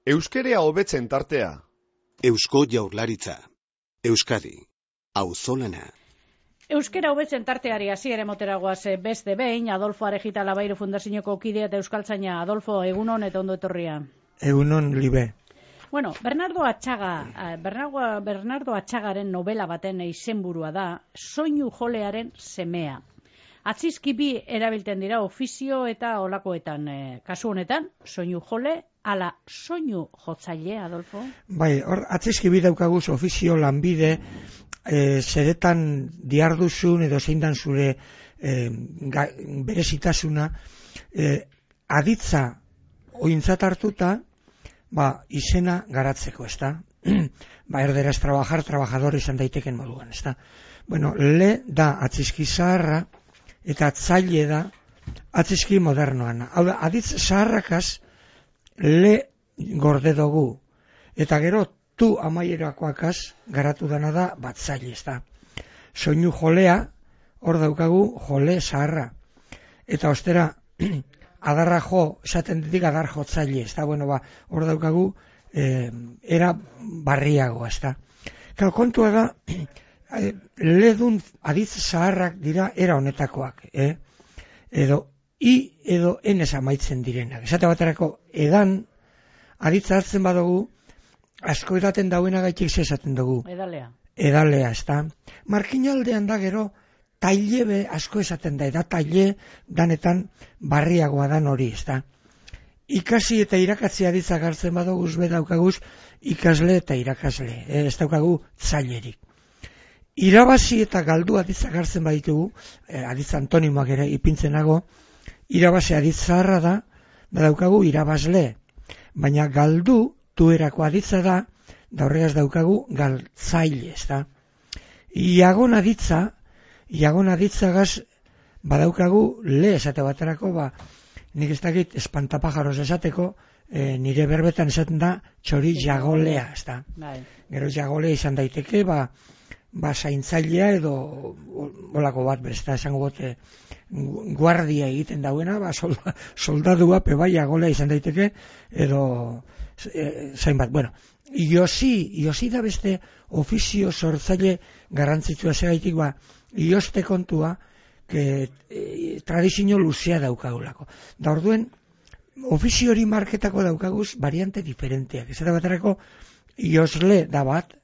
Euskerea hobetzen tartea. Eusko Jaurlaritza. Euskadi. Auzolana. Euskera hobetzen tarteari hasiera emoteragoaz beste behin, Adolfo Arejita Labairu Fundazioko kidea eta euskaltzaina. Adolfo, egunon eta ondo etorria. Egunon, libe. Bueno, Bernardo Atxagaren novela baten izenburua da, soinu jolearen semea. Atzizki bi erabiltzen dira ofizio eta olakoetan. Kasu honetan, soinu jole, ala soinu jotzaile, Adolfo? Bai, hor, atzizki bi daukaguz ofizio lanbide, zeretan diarduzun edo zein dan zure berezitasuna, aditza ointzat hartuta, izena garatzeko, ezta? Erderaz trabajar, trabajador izan daiteken moduan, ezta? Bueno, le da atzizki zaharra, eta atzaile da atzizki modernoan. Hau da, aditz zaharrakaz le gorde dugu. Eta gero, tu amaierakoakaz garatu dana da batzaile, ezta? Soinu jolea, hor daukagu jole zaharra. Eta ostera, adarra jo, esaten ditik adar jotzaile, ezta? Bueno, hor daukagu era barriago, ezta? Kontua da, ledun aditz zaharrak dira era honetakoak, edo edo enez amaitzen direnak. Esate baterako edan aditza hartzen badugu, asko edaten dauena gaitik esaten dugu. Edalea, ezta? Markinaldean da gero tailebe asko esaten da, taile danetan barriagoa dan hori, ezta? Ikasi eta irakatzi aditzak hartzen badugu, daukaguz ikasle eta irakasle, ez daukagu zailerik. Irabazi eta galdu aditzak hartzen baditugu, aditz antonimoak ere ipintzenago, irabazi aditz zaharra da daukagu irabazle, baina galdu tuerako aditza da horregaz daukagu galtzaile, ezta? Iagon aditzagaz badaukagu le esate baterako, nik ez dakit espantapajaros esateko, nire berbetan esaten da txori jagolea, ezta? Gero jagolea izan daiteke, zaintzailea edo olako bat, besta esango bote guardia egiten dauena, soldadua pebai jagolea izan daiteke, edo zain bat. Bueno, iosi da beste ofizio sortzaile garrantzitsua segaitik, ioste kontua, tradizio luzea daukagulako. Da orduen, ofizio hori marketako daukaguz variante diferenteak. Ez da baterako, iosle da bat,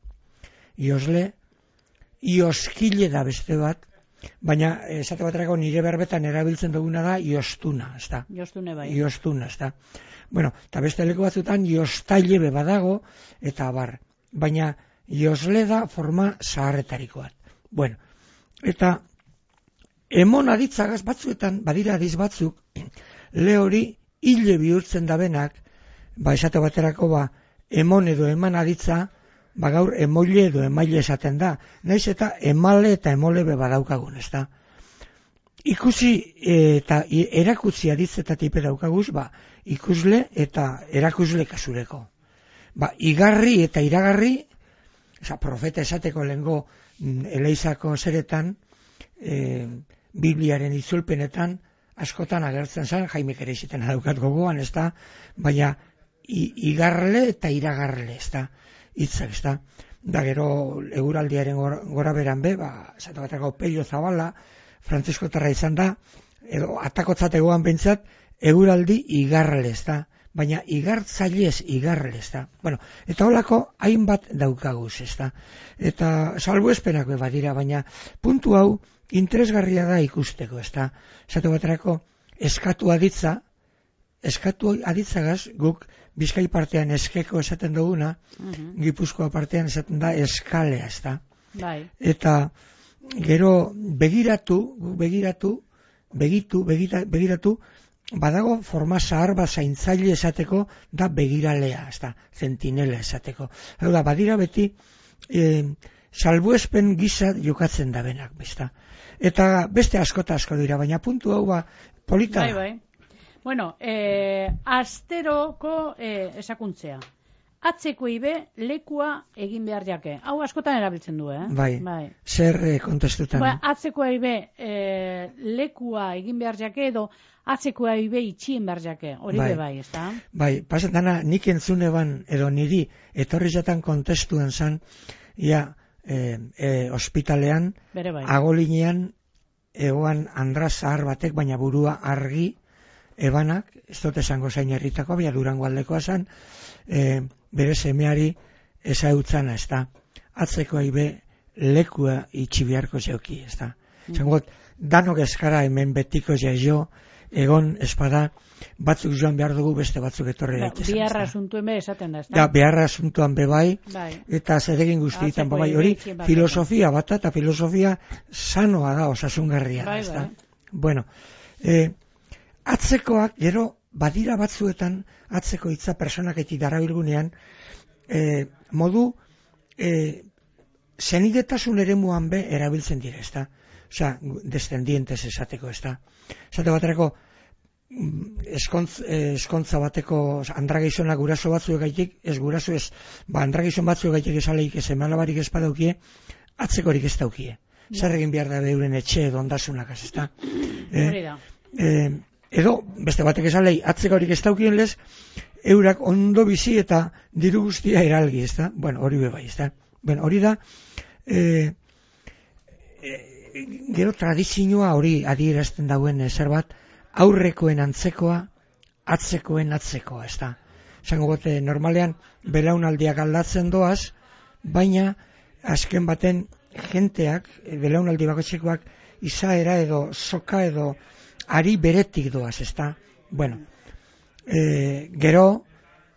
ioskile da beste bat, baina esate baterako nire berbetan erabiltzen duguna da iostuna, ezta? Iostuna, ezta? Bueno, eta beste leko batzutan iostaile badago, eta baina iosle da forma zaharretariko bat. Bueno, eta emon aditzagaz batzuetan, badira adiz batzuk, le hori hile bihurtzen dabenak, esate baterako emon edo eman aditza, gaur emoile edo emaile esaten da. Naiz eta emale eta emole badaukagun, ezta? Ikusi eta erakutsi aditzetatik daukaguz, ikusle eta erakusle kasureko. Igarri eta iragarri, profeta esateko lehengo eleizako zeretan, Bibliaren itzulpenetan, askotan agertzen zen, Jaimek ere iziten daukat gogoan, ezta? Baina igarle eta iragarle, ezta? Hitzak, ezta? Da gero eguraldiaren gora beran esate baterako Pello Zabala, frantziskotarra izan da, edo atakotzat egoan behintzat, eguraldi igarle, ezta? Baina igartzailez igarle, ezta? Bueno, eta holako hainbat daukaguz, ezta? Eta salbuespenak badira, baina puntu hau interesgarria da ikusteko, ezta? Esate baterako eskatu aditzagaz guk Bizkai partean eskeko esaten duguna, Gipuzkoa partean esaten da eskalea, ezta? Eta gero begiratu, badago forma zahar zaintzaile esateko da begiralea, ezta? Zentinela esateko. Hau da, badira beti salbuespen gisa jokatzen da benak, ezta? Eta beste asko dira, baina puntu hau polita. Bueno, asteroko esakuntzea. atzeko ibe lekua egin behar jake. Hau askotan erabiltzen du, Bai. Zer kontestutan? Atzeko ibe lekua egin behar jake edo atzeko ibe itxien behar jake. Hori bai, ez da? Bai, pasen dana nik entzuneban edo niri etorri jatan kontestuan zan, ospitalean, agolinean, egoan Andra zahar batek, baina burua argi, ebanak, ez dut esango zain herritako, baina Durango aldekoa zan, bere semeari ezautzana, ez da. Atzeko aibe lekua itxi beharko zeuki, ez da. Zangot, danok eskara hemen betiko jaio, egon espada, batzuk joan behar dugu, beste batzuk etorri daitezan. Biharra asuntuen be esaten da, ez da? Da, biharra asuntuan bebai, eta zeregin guztietan bebai, hori filosofia bat, eta filosofia sanoa da, osasungarria, ez da? Bueno, atzekoak, gero, badira batzuetan, atzeko hitza personaketik darabilgunean, modu, zenidetasun eremuan be erabiltzen dira, ez da? Osea, descendientes esateko, ez da? Esate baterako, eskontza bateko andragizona guraso batzuek gaitik, ez guraso ez, andragizon batzuek gaitik esaleik ez emalabarik espadaukie, atzekorik ez daukie. Zer egin behar da beuren etxe edo ondasunak, ez da? Edo, beste batek esalei, atzekorik ez daukien lez, eurak ondo bizi eta diru guztia eralgi, ez da? Bueno, hori bebai, ez da? Bueno, hori da, gero tradizioa hori adierazten dauen zerbait, aurrekoen antzekoa, atzekoen atzekoa, ez da. Zango gote, normalean, belaunaldiak aldatzen doaz, baina, azken baten, jenteak, belaunaldi bakotxekoak, izaera edo, soka edo, ari beretik doaz, ez da. Bueno, gero,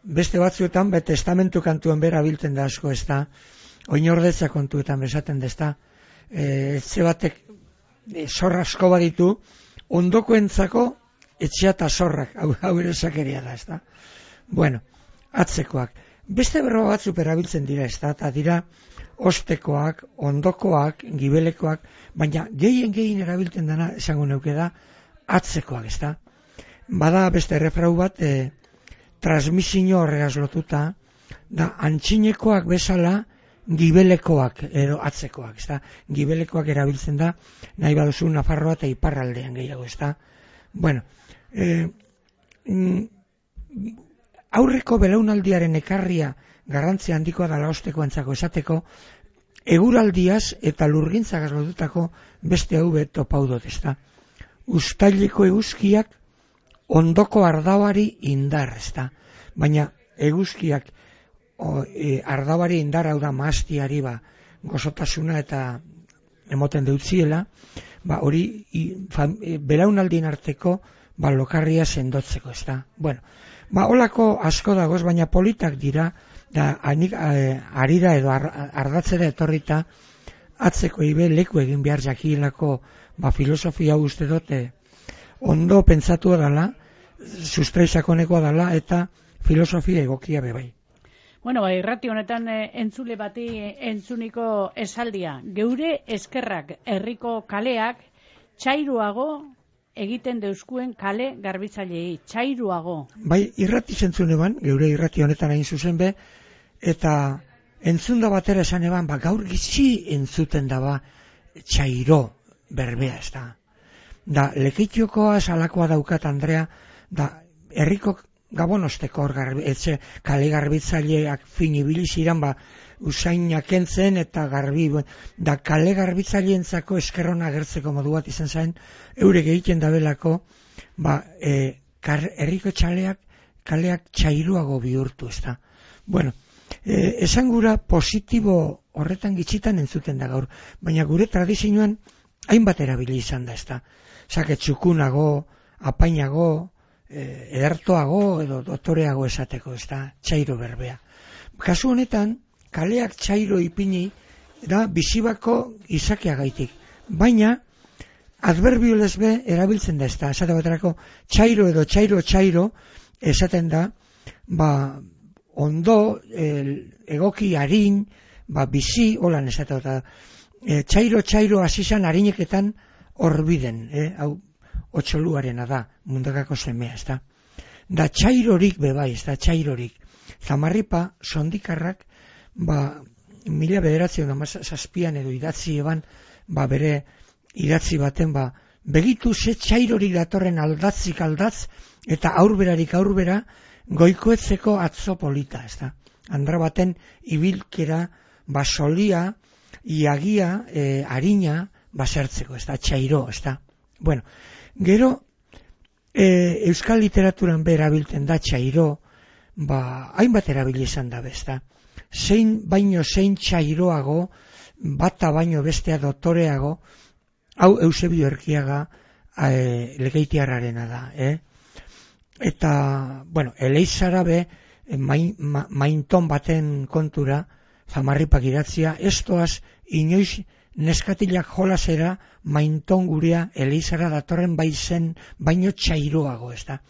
beste batzuetan, testamentu kantuan bera biltzen da asko, ez da. Oinordetza kontuetan bezaten da, ez da. Etxe batek zorra asko baditu, ondokoentzako etxea eta zorrak, hau ere sakeria da, ez da. Bueno, atzekoak. Beste berroa batzuk erabiltzen dira, ez da, eta dira ostekoak, ondokoak, gibelekoak, baina gehien erabiltzen dena, esango neuke da, atzekoak, ez da. Bada beste errefrau bat, transmisio horregaz lotuta, da antxinekoak bezala, gibelekoak edo atzekoak, ez da? Gibelekoak erabiltzen da, nahi baduzu Nafarroa eta iparraldean gehiago, ez da? Bueno, aurreko belaunaldiaren ekarria garrantzia handikoa dala ostekoentzako esateko, eguraldiaz eta lurgintzagaz lotutako beste hau topau dut, ez da? Uztaileko eguzkiak ondoko ardauari indar, ez da? Baina eguzkiak ardabari indar hau da maastiari gozotasuna eta emoten deutziela, hori belaunaldien arteko lokarria sendotzeko, ez da. Bueno, holako asko dagoz, baina politak dira, da arira edo ardatzera etorrita atzeko ibe leku egin behar jakielako filosofia uste dute ondo pentsatua dala, sustraisakonekoa dala eta filosofia egokia bebai. Bueno, irrati honetan entzule bati entzuniko esaldia. Geure eskerrak herriko kaleak txairuago egiten deuzkuen kale garbitzailei. Txairuago. Bai, irrati zentzuneban, geure irrati honetan hain zuzen be, eta entzunda batera esan eban, gaur gitzi entzuten daba txairo berbea, ez da. Da, lekitiokoa salakoa daukat, Andrea, da, herriko gabonosteko etxe kale garbitzaileak finibili ziren usainak entzen eta garbi, da kale garbitzaileentzako eskerrona agertzeko modu bat izan zain, eurek egiten dabelako herriko kaleak txairuago bihurtu, ez da. Bueno, esan gura positibo horretan gitzitan entzuten da gaur, baina gure tradizioan hainbat erabili izan da, ez da. Zake txukunago, apainago, edertoago edo dotoreago esateko, ez da, txairo berbea. Kasu honetan, kaleak txairo ipini da bizibako izakeagaitik, baina adverbio lesbe erabiltzen da, ez da, esate baterako txairo edo txairo esaten da, ondo, egoki harin, bizi, holan esate da, txairo asizan harineketan horbiden, hau, otxoluarena da, mundakako semea, ez da. Da txairorik bebai, ez da, txairorik. Zamarripa, sondikarrak, 1907 edo idatzi eban, bere idatzi baten, begitu ze txairorik datorren aldatzik aldatz, eta aurberarik aurbera, goikoetzeko atzo polita, ez da. Andra baten ibilkera, solia, iagia, harina, basertzeko, ez da, txairo, ez da. Bueno, gero, euskal literaturan erabiltzen da txairo, hainbat erabili izan da, ez da. Zein txairoago, bata baino bestea dotoreago, hau Eusebio Erkiaga Lekeitiarrarena da, Eta, Eleizara mainton baten kontura, Zamarripak idatzia, estoaz inoiz neskatilak jolasera mainton gurea Eleizara datorren baino txairoago, ez da.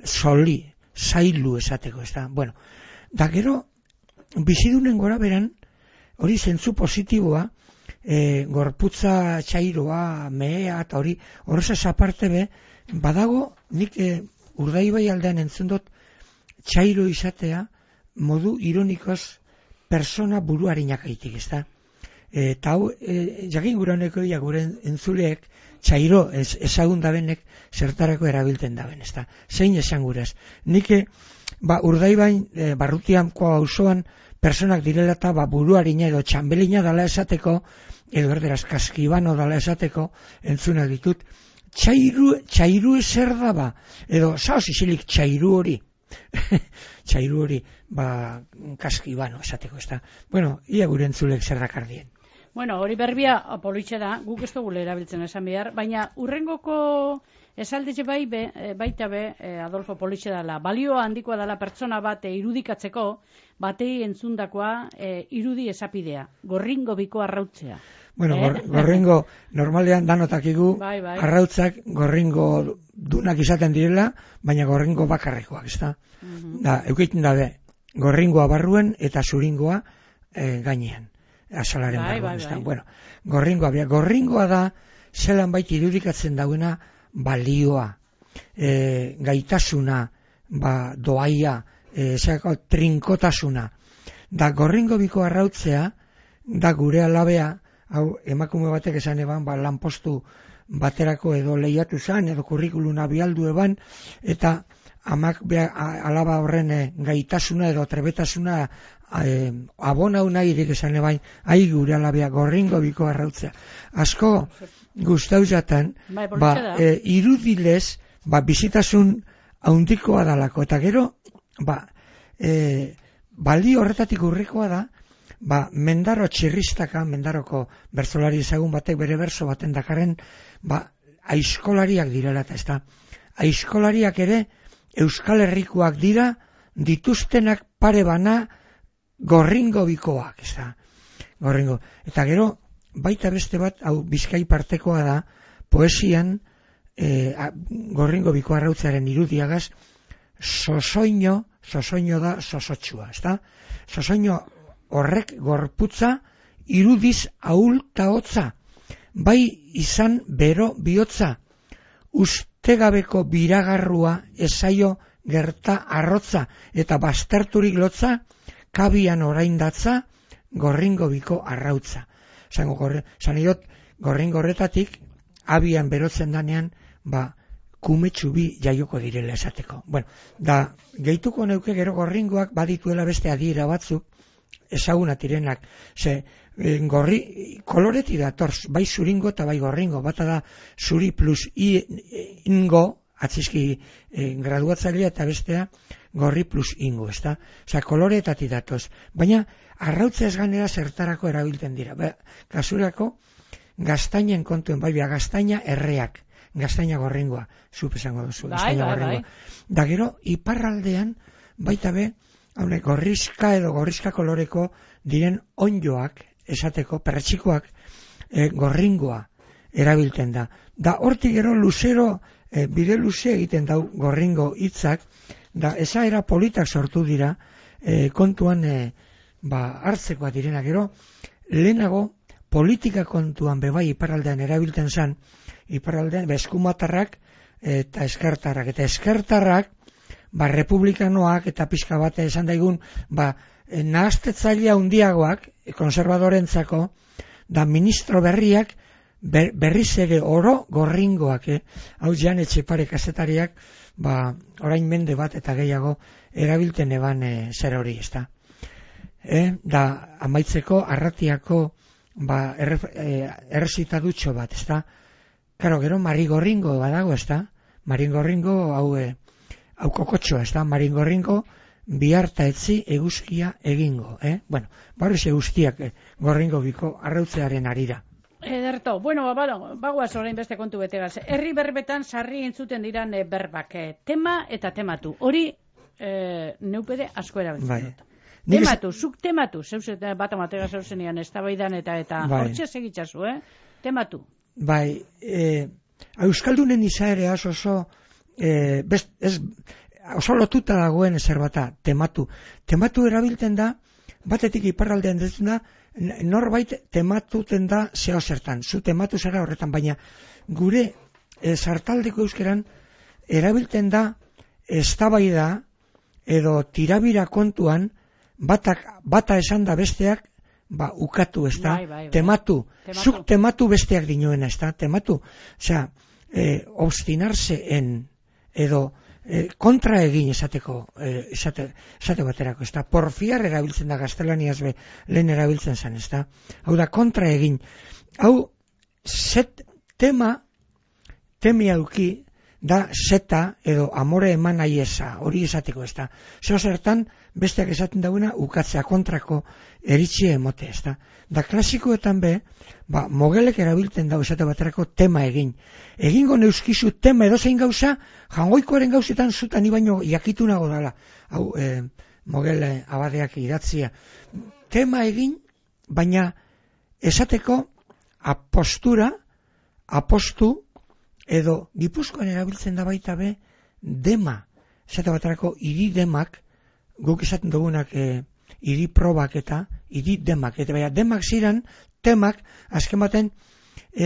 Soli, zailu esateko, ez da. Da gero, bizidunen gora beran, hori zentzu positiboa, gorputza txairoa, mehea, eta horrezaz aparte badago, nik Urdaibai aldean entzun dut txairo izatea modu ironikoz persona buruarinak aitik, ez da. Eta hau, jakin gure honeko gure entzuleek txairo ezagun dabenek zertarako erabiltzen daben, ez da. Zein esan gurez. Nik Urdaibain barrutianko auzoan personak direla eta buruarina edo txambelina dala esateko, edo erderaz kaskibano dala esateko entzunak ditut. Txairu ezer da edo zaoz isilik txairu hori. Txairu hori, kaskibano esateko, ez da. Ia gure entzulek zer dakardien. Hori berbia politxe da, guk ez dugu erabiltzen esan behar, baina urrengoko esaldetxe baita Adolfo politxe dela, balio handikoa dela pertsona bat irudikatzeko, batei entzundakoa irudi esapidea, gorringo biko arrautzea. Gorringo, normalean danotakigu, arrautzak gorringo dunak izaten direla, baina gorringo bakarrekoak, ez da? Eukeiten dabe, gorringoa barruen eta zuringoa gainean, asalaren barruen, ez da? Gorringoa da, zelan baita irudikatzen dauena balioa, gaitasuna, doaia, trinkotasuna. Da gorringo biko arrautzea, da gure alabea, hau emakume batek esan eban, lanpostu baterako edo lehiatu zan, edo kurrikuluna bialdu eban, eta amak alaba horren gaitasuna edo trebetasuna abonau nahirik esan eban, gure alabea gorringo biko arrautzea. Asko gustau jatan, irudilez, bizitasun haundikoa dalako, eta gero, balio horretatik urrikoa da, Mendaro txirristaka, Mendaroko bertsolari ezagun batek bere berso baten dakarren, aizkolariak direla eta ez da. Aizkolariak ere Euskal Herrikoak dira, dituztenak pare bana gorringo bikoak, ez da. Gorringo. Eta gero, baita beste bat, hau Bizkai partekoa da, poesian, gorringo biko arrautzearen irudiagaz, sosoino da sosotxua, ez da. Sosoino horrek gorputza irudiz ahulta hotza, bai izan bero bihotza, ustegabeko biragarrua esaio gerta arrotza, eta bazterturik lotza, kabian oraindatza, gorringo biko arrautza. Zanaiot, gorringo horretatik, abian berotzen danean, kumetxu bi jaioko direla esateko. Da, gehituko neuke gero gorringoak badituela beste adiera batzuk, ezaguna tirenak, koloreti datorz, bai zuringo eta bai gorringo, bata da zuri plus ingo, atzizki graduatzailea eta bestea gorri plus ingo, ez da? Koloretati datoz, baina arrautza ez ganera zertarako erabiltzen dira. Kasurako, gaztainen kontuen, gaztaina erreak, gaztaina gorringoa, zup esango duzu, gaztaina gorringoa. Da gero, iparraldean, baita gorrizka edo gorrizka koloreko diren onjoak, esateko, perretxikoak, gorringoa erabiltzen da. Da hortik gero luzero, bide luze egiten dau gorringo hitzak, da esaera politak sortu dira, kontuan hartzekoa direna. Gero, lehenago, politika kontuan bebai iparraldean erabiltzen zan, iparraldean eskumatarrak eta eskertarrak. Eta eskertarrak, republikanoak eta pixka bat esan daigun, nahastetzailea handiagoak, konservadorentzako, da ministro berriak, berriz ere oro gorringoak, hau Jan Etxepare kazetariak, orain mende bat eta gehiago erabilten eban zer hori, ezta. Da, amaitzeko, Arratiako errezitadutxo bat, ezta. Karo, gero Marigorringo badago, ezta. Marigorringo, hau kokotxoa, ezta. Marigorringo, biharta etzi eguzkia egingo, Bueno, barriz eguzkiak gorringo biko arrautzearen arira. Ederto, bagoaz orain beste kontu betegaz. Herri berbetan sarri entzuten diran berbak. Tema eta tematu. Hori neupede asko erabiltzen dut. Tematu, zuk tematu. Zeus bat amatega zeuzenean eztabaidan eta hortxe segitzazu, Tematu. Euskaldunen izaerea oso oso lotuta dagoen ezer bata, tematu. Tematu erabiltzen da, batetik iparraldean detzen da, norbait tematuten da zeo zertan. Zu tematu zara horretan, baina gure sartaldeko euskeran erabiltzen da eztabaida edo tirabira kontuan bata esan da besteak ukatu, ez da? Tematu. Zuk tematu besteak dinoena, ez da? Tematu. Osea, obstinarse en edo kontra egin esate baterako, ez da? Porfiar erabiltzen da gaztelaniaz lehen erabiltzen zen, ez da? Hau da, kontra egin. Hau, temia auki da zeta edo amore eman nahi eza, hori esateko, ez da? Zeo zertan, besteak esaten dagoena ukatzea kontrako eritxie emote, ez da? Da klasikoetan mogelek erabiltzen dago esate baterako tema egin. Egingo neuskizu tema edozein gauza, jangoikoaren gauzetan zutan baino jakitunago dala. Hau, mogel abadeak idatzia. Tema egin, baina esateko apostu, edo Gipuzkoan erabiltzen da baita dema. Esate baterako hiri demak, guk esaten dugunak hiri probak eta hiri demak. Eta baina demak ziren, temak, azken baten,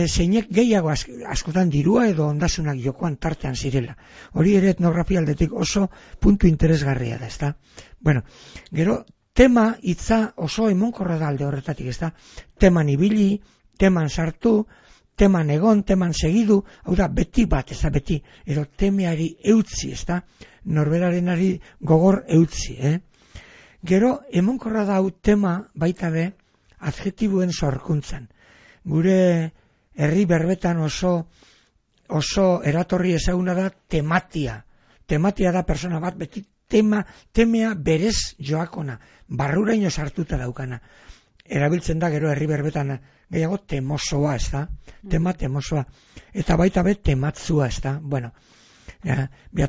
zeinek gehiago askotan dirua edo ondasunak jokoan tartean zirela. Hori ere etnografia aldetik oso puntu interesgarria da, ezta? Bueno, gero, tema hitza oso emonkorra da alde horretatik, ezta? Teman ibili, teman sartu, teman egon, teman segidu, hau da, beti bat, ez da, beti, edo temeari eutzi, ez da, norberarenari gogor eutzi, Gero, emonkorra da hau tema baita adjetibuen sorkuntzan. Gure herri berbetan oso eratorri ezaguna da tematia. Tematia da persona bat, beti temea berez joakona, barruraino sartuta daukana. Erabiltzen da gero herri berbetan gehiago temosoa, ez da? Tema temosoa. Eta baita tematzua, ez da? Bueno,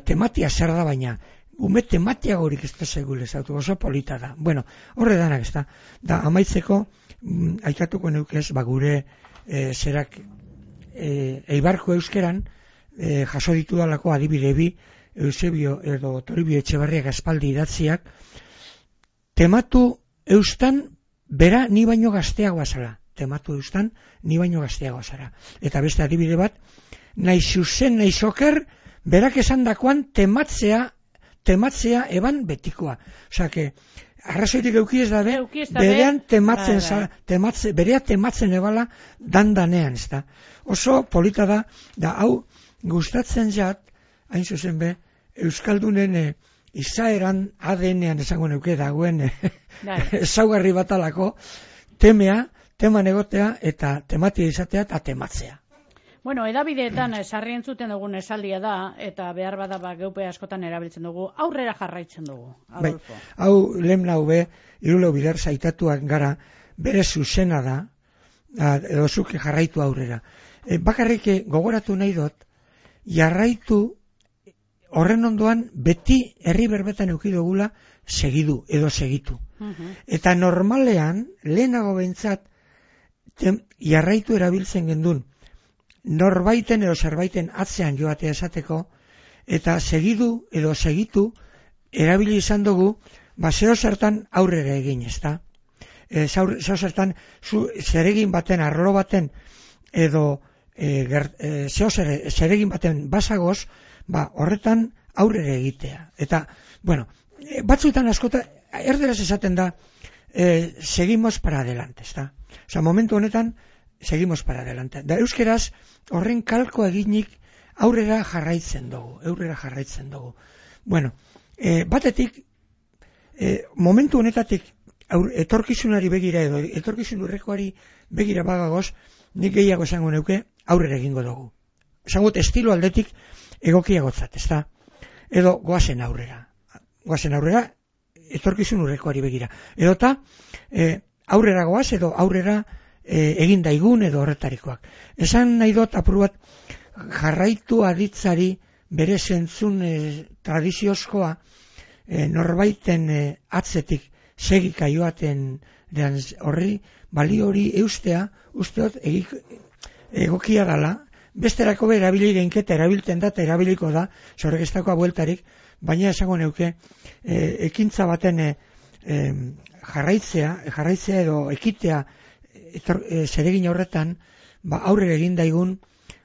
tematia zer da baina, ume tematia gorik ez da segule, zautu, oso polita da. Bueno, horre danak, ez da? Da, amaitzeko, aikatuko neukez, gure zerak Eibarko euskeran, jaso ditu dalako adibide bi, Eusebio edo Toribio Etxebarriak aspaldi idatziak, tematu eustan, bera ni baino gazteagoa zara. Tematu eustan, ni baino gazteagoa zara. Eta beste adibide bat, nahi zuzen, nahi zoker, berak esan dakoan tematzea eban betikoa. Osea, que arrazoitik euki ez da berean berea tematzen ebala dandanean, ez da. Oso polita da hau gustatzen jat, hain zuzen Euskaldunen izaeran ADN-ean esango neuke dagoen ezaugarri batalako teman egotea eta tematia izatea eta tematzea. Bueno, edabideetan sarri entzuten dugun esaldia da, eta behar bada geupe askotan erabiltzen dugu, aurrera jarraitzen dugu, Adolfo. Hau lehen nau Irulo Bider zaitatuak gara, bere zuzena da, edo zuke jarraitu aurrera. Bakarrik gogoratu nahi dut, jarraitu horren ondoan beti herri berbetan eduki dugula segidu edo segitu. Eta normalean, lehenago behintzat, jarraitu erabiltzen gendun, norbaiten edo zerbaiten atzean joatea esateko, eta segidu edo segitu erabili izan dugu, zeo zertan aurrera egin, ezta? Zeo zertan zeregin baten, arlo baten, edo zeregin baten basagoz, horretan aurrera egitea. Eta, bueno, batzuetan askota, erderaz esaten da, seguimos para adelante, ezta? Osa, momentu honetan, seguimos para adelante. Da, euskeraz, horren kalko eginik aurrera jarraitzen dugu. Bueno, batetik, momentu honetatik, etorkizunari begira edo, etorkizun urrekoari begira bagagoz, nik gehiago esango neuke, aurrera egingo dugu. Esango estilo aldetik egokiagotzat, ezta? Edo goazen aurrera, etorkizun urrekoari begira. Edota, aurrera goaz edo aurrera egin daigun edo horretarikoak. Esan nahi dut apur bat jarraitu aditzari bere zentzun tradiziozkoa norbaiten atzetik segika joaten horri balio hori eustea, usteot egokia dala, besterako erabili geinketa erabiltzen da eta erabiliko da, zorrek ez dagoa bueltarik, baina esango neuke ekintza baten jarraitzea edo ekitea zeregin horretan, aurrera egin daigun,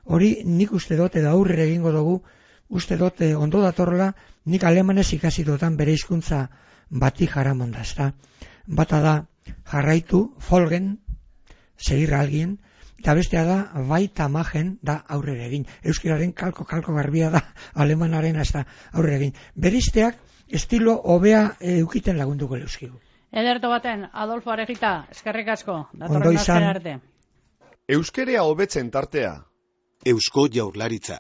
hori nik uste dut edo aurrera egingo dugu, uste dut ondo datorla, nik alemanez ikasi dutan bere hizkuntza bati jaramonda, ezta? Bata da jarraitu, folgen, segir alguien, eta bestea da baita magen da aurrera egin. Euskiraren kalko garbia da alemanaren hasta aurrera egin. Berizteak estilo hobea eukiten lagunduko euskigu. Ederto baten, Adolfo Arejita, eskerrik asko, datorren astera arte. Euskerea hobetzen tartea. Eusko Jaurlaritza.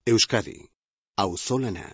Euskadi. Auzolana.